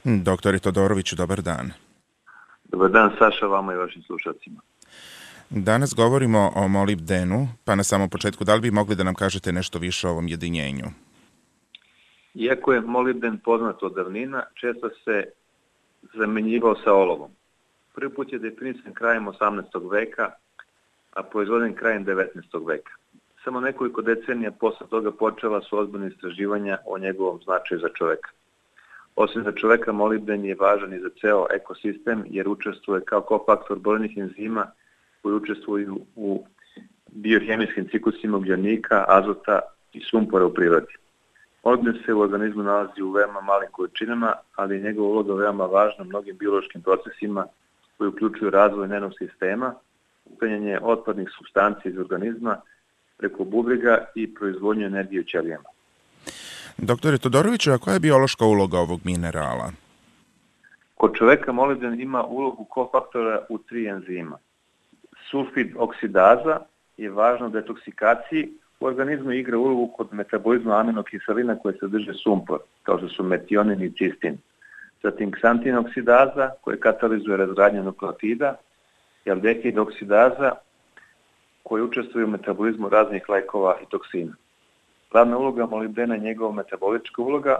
Doktore Todoroviću, dobar dan. Dobar dan, Saša, vama i vašim slušalcima. Danas govorimo o molibdenu, pa na samom početku, da li bi mogli da nam kažete nešto više o ovom jedinjenju? Iako je molibden poznat od davnina, često se zamenjivao sa olovom. Prvi put je definisan krajem 18. veka, a proizvoden krajem 19. veka. Samo nekoliko decenija posle toga počela su ozbiljne istraživanja o njegovom značaju za čoveka. Osim za čoveka, molibden je važan i za ceo ekosistem, jer učestvuje kao kofaktor brojnih enzima koji učestvuju u biohemijskim ciklusima ugljenika, azota i sumpora u prirodi. Molibden se u organizmu nalazi u veoma malim količinama, ali je njegova uloga veoma važna mnogim biološkim procesima koji uključuju razvoj nervnog sistema, uklanjanje otpadnih supstanci iz organizma preko bubrega i proizvodnju energije u ćelijama. Doktore Todoroviću, a koja je biološka uloga ovog minerala? Kod čoveka molibden ima ulogu kofaktora u 3 enzima. Sulfid oksidaza je važna u detoksikaciji, u organizmu igra ulogu kod metabolizma aminokiselina koje sadrže sumpor, kao što su metionin i cistin. Zatim ksantin oksidaza koje katalizuje razgradnju nukleotida i aldehid oksidaza koji učestvuje u metabolizmu raznih lekova i toksina. Glavna uloga molibdena je njegova metabolička uloga.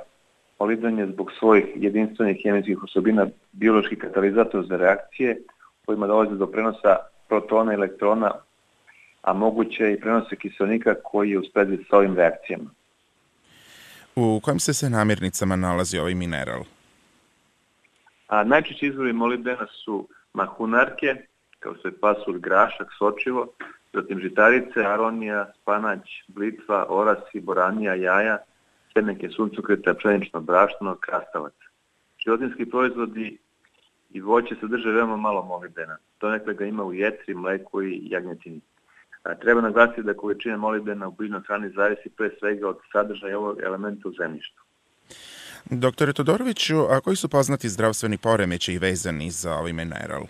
Molibden je zbog svojih jedinstvenih hemijskih osobina biološki katalizator za reakcije kojima dolazi do prenosa protona i elektrona, a moguće i prenose kiselnika koji je u sprezi sa ovim reakcijama. U kojim se namirnicama nalazi ovaj mineral? Najčešći izvori molibdena su mahunarke, kao što je pasulj, grašak, sočivo, zatim žitarice, aronija, spanać, blitva, orasi, boranija, jaja, semenke suncokreta, pšenično brašno, krastavac. Životinjski proizvodi i voće sadrže veoma malo molibdena. Donekle ga ima u jetri, mleku i jagnjetini. Treba naglasiti da količina molibdena u biljnoj hrani zavisi pre svega od sadržaja ovog elementa u zemljištu. Doktore Todoroviću, a koji su poznati zdravstveni poremećaji vezani za ovaj mineral?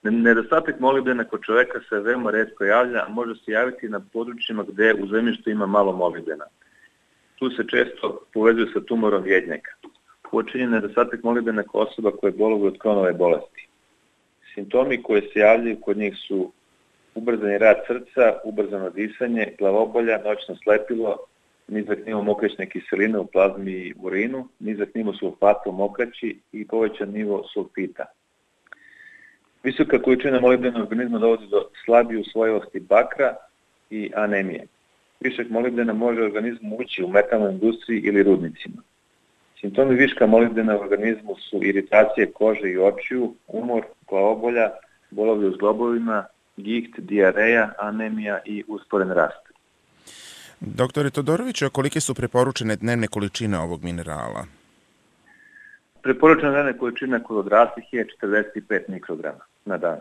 Nedostatak molibdena kod čoveka se veoma retko javlja, a može se javiti na područjima gde u zemljištu ima malo molibdena. Tu se često povezuje sa tumorom jednjaka. Uočen je nedostatak molibdena kod osoba koje boluju od Crohnove bolesti. Simptomi koji se javljaju kod njih su ubrzani rad srca, ubrzano disanje, glavobolja, noćno slepilo, nizak nivo mokraćne kiseline u plazmi i urinu, nizak nivo sulfata u mokraći i povećan nivo sulfita. Visoka količina molibdena u organizmu dovodi do slabije usvojivosti bakra i anemije. Višak molibdena može u organizmu ući u metalnoj industriji ili rudnicima. Simptomi viška molibdena u organizmu su iritacije kože i očiju, umor, glavobolja, bolovi u zglobovima, giht, dijareja, anemija i usporen rast. Doktore Todoroviću, a kolike su preporučene dnevne količine ovog minerala? Preporučena dnevna količina kod odraslih je 45 mikrograma na dan.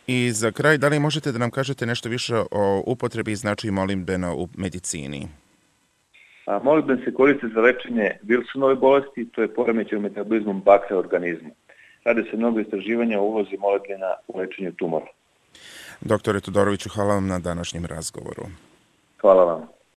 I za kraj, da li možete da nam kažete nešto više o upotrebi i značaju molibdena u medicini? Molibden se koristi za lečenje Wilsonove bolesti, to je poremećaj u metabolizmu bakra u organizmu. Rade se mnogo istraživanja o ulozi molibdena u lečenju tumora. Doktore Todoroviću, hvala vam na današnjem razgovoru. Hvala vam.